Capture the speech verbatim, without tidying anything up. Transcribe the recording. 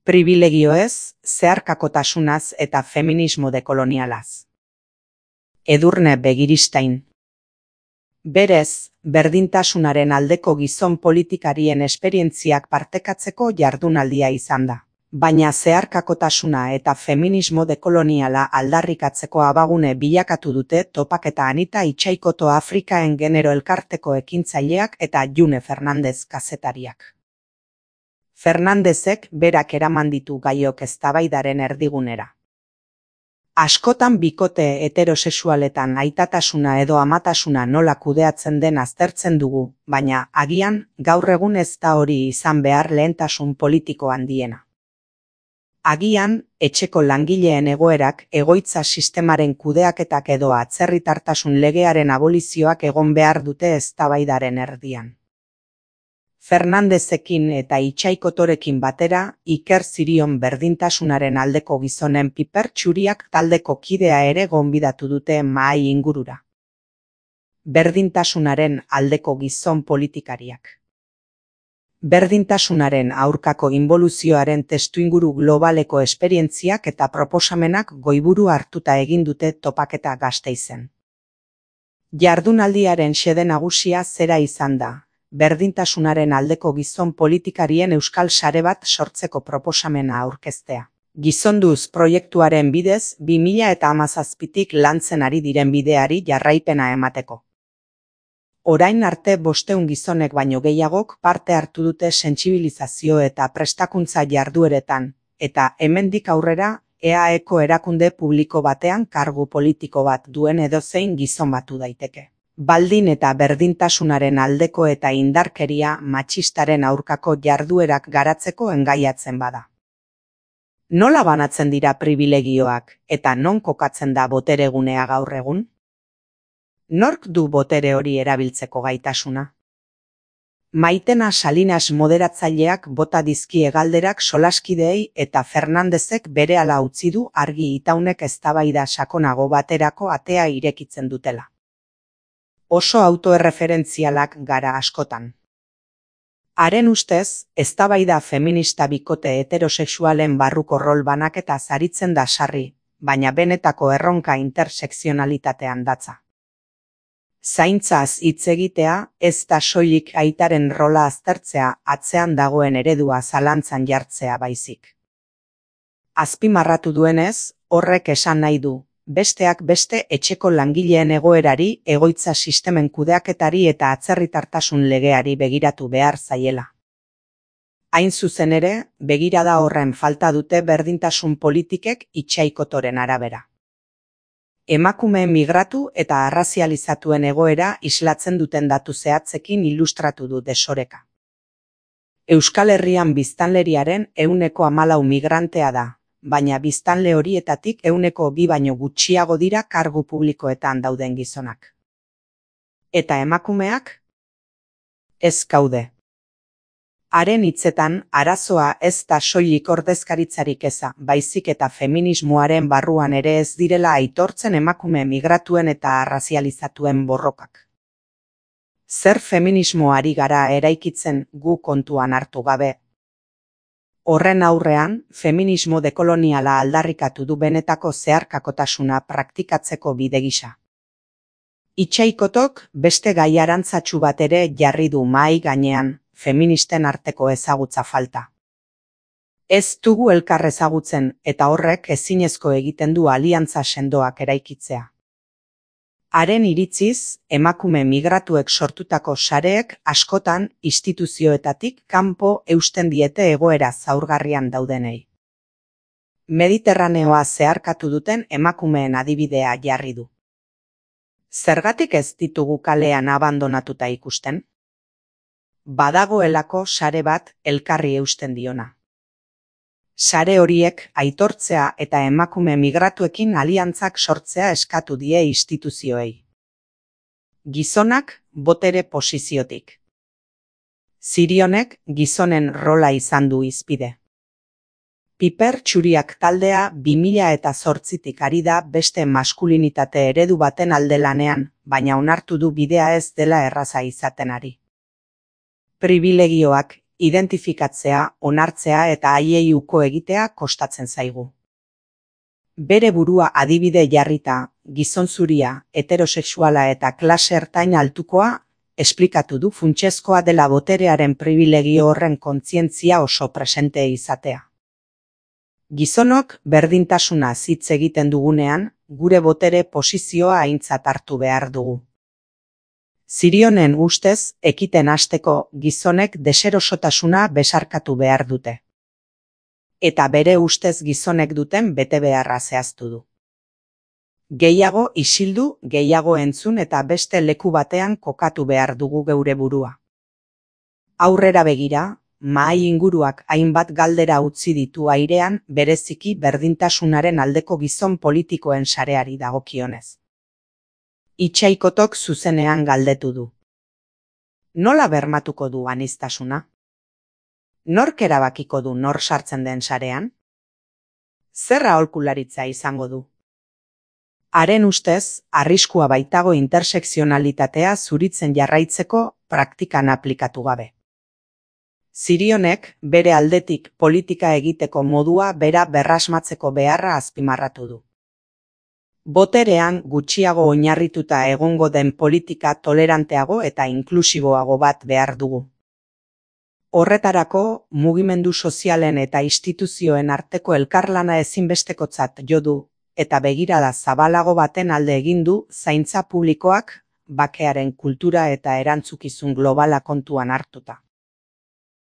pribilegioez, zeharkakotasunaz eta feminismo dekolonialaz. Edurne Begiristain. Berez, berdintasunaren aldeko gizon politikarien esperientziak partekatzeko jardunaldia izan da. Baina zeharkakotasuna eta feminismo dekoloniala aldarrikatzeko abagune bilakatu dute topaketa Anita Itxaikoto Afrikaen genero elkarteko ekintzaileak eta June Fernandez kazetariak. Fernandezek berak eraman ditu gaiok eztabaidaren erdigunera. Askotan bikote heterosexualetan aitatasuna edo amatasuna nola kudeatzen den aztertzen dugu, baina agian gaur egun ez da hori izan behar lehentasun politiko handiena. Agian, etxeko langileen egoerak, egoitza sistemaren kudeaketak edo atzerritartasun legearen abolizioak egon behar dute eztabaidaren erdian. Fernandezekin eta Itxaikotorekin batera, Iker Zirion berdintasunaren aldeko gizonen piper txuriak taldeko kidea ere gonbidatu dute mahai ingurura. Berdintasunaren aldeko gizon politikariak. Berdintasunaren aurkako inboluzioaren testuinguru globaleko esperientziak eta proposamenak goiburu hartuta egin dute topaketa Gasteizen. Jardunaldiaren xede nagusia zera izan da. Berdintasunaren aldeko gizon politikarien euskal sare bat sortzeko proposamena aurkeztea. Gizonduz proiektuaren bidez, bi mila hamazazpitik lantzen ari diren bideari jarraipena emateko. Orain arte bosteun gizonek baino gehiagok parte hartu dute sentsibilizazio eta prestakuntza jardueretan, eta hemendik aurrera E A Eko erakunde publiko batean kargu politiko bat duen edozein gizon batu daiteke. Baldin eta berdintasunaren aldeko eta indarkeria matxistaren aurkako jarduerak garatzeko engaiatzen bada. Nola banatzen dira pribilegioak eta non kokatzen da boteregunea gaur egun? Nork du botere hori erabiltzeko gaitasuna? Maitena Salinas moderatzaileak bota dizkie galderak solaskideei eta Fernandezek berehala utzi du argi itaunek eztabaida sakonago baterako atea irekitzen dutela. Oso autoerreferentzialak gara askotan. Haren ustez, eztabaida feminista bikote heterosexualen barruko rol banaketa zaritzen da sarri, baina benetako erronka intersekzionalitatean datza. Zaintzaz hitz egitea, ez da soilik aitaren rola aztertzea atzean dagoen eredua zalantzan jartzea baizik. Azpimarratu duenez, horrek esan nahi du. Besteak beste etxeko langileen egoerari, egoitza sistemen kudeaketari eta atzerritartasun legeari begiratu behar zaiela. Hain zuzen ere, begirada horren falta dute berdintasun politikek Itxaikotoren arabera. Emakume migratu eta arrazializatuen egoera islatzen duten datu zehatzekin ilustratu du desoreka. Euskal Herrian biztanleriaren ehuneko hamalau migrantea da. Baina biztanle horietatik ehuneko bi baino gutxiago dira kargu publikoetan dauden gizonak. Eta emakumeak? Ez gaude. Haren hitzetan, arazoa ez da soilik ordezkaritzarik eza, baizik eta feminismoaren barruan ere ez direla aitortzen emakume migratuen eta arrazializatuen borrokak. Zer feminismoari gara eraikitzen gu kontuan hartu gabe? Horren aurrean, feminismo dekoloniala aldarrikatu du benetako zeharkakotasuna praktikatzeko bide gisa. Itxaikotok beste gai arantzatsu bat ere jarri du mahai gainean, feministen arteko ezagutza falta. Ez dugu elkar ezagutzen eta horrek ezinezko egiten du aliantza sendoak eraikitzea. Haren iritziz, emakume migratuek sortutako sareek askotan instituzioetatik kanpo eusten diete egoera zaurgarrian daudenei. Mediterraneoa zeharkatu duten emakumeen adibidea jarri du. Zergatik ez ditugu kalean abandonatuta ikusten? Badagoelako sare bat elkarri eusten diona. Sare horiek aitortzea eta emakume migratuekin aliantzak sortzea eskatu die instituzioei. Gizonak botere posiziotik. Zirionek gizonen rola izan du hizpide. Piper txuriak taldea bi mila zortzitik ari da beste maskulinitate eredu baten alde lanean, baina onartu du bidea ez dela erraza izaten ari. Pribilegioak identifikatzea, onartzea eta haiei uko egitea kostatzen zaigu. Bere burua adibide jarrita, gizon zuria, heterosexuala eta klase ertain altukoa, esplikatu du funtsezkoa dela boterearen pribilegio horren kontzientzia oso presente izatea. Gizonok berdintasuna hitz egiten dugunean, gure botere posizioa aintzat hartu behar dugu. Zirionen ustez, ekiten hasteko gizonek deserosotasuna besarkatu behar dute. Eta bere ustez gizonek duten betebeharra zehaztu du. Gehiago isildu, gehiago entzun eta beste leku batean kokatu behar dugu geure burua. Aurrera begira, mahai inguruak hainbat galdera utzi ditu airean bereziki berdintasunaren aldeko gizon politikoen sareari dagokionez. Itxaikotok zuzenean galdetu du. Nola bermatuko du aniztasuna? Nork erabakiko du nor sartzen den sarean? Zer aholkularitza izango du? Haren ustez, arriskua baitago intersekzionalitatea zuritzen jarraitzeko praktikan aplikatu gabe. Zirionek bere aldetik politika egiteko modua bera berrasmatzeko beharra azpimarratu du. Boterean gutxiago oinarrituta egongo den politika toleranteago eta inklusiboago bat behar dugu. Horretarako, mugimendu sozialen eta instituzioen arteko elkarlana ezinbestekotzat jo du, eta begirada zabalago baten alde egin du zaintza publikoak, bakearen kultura eta erantzukizun globala kontuan hartuta.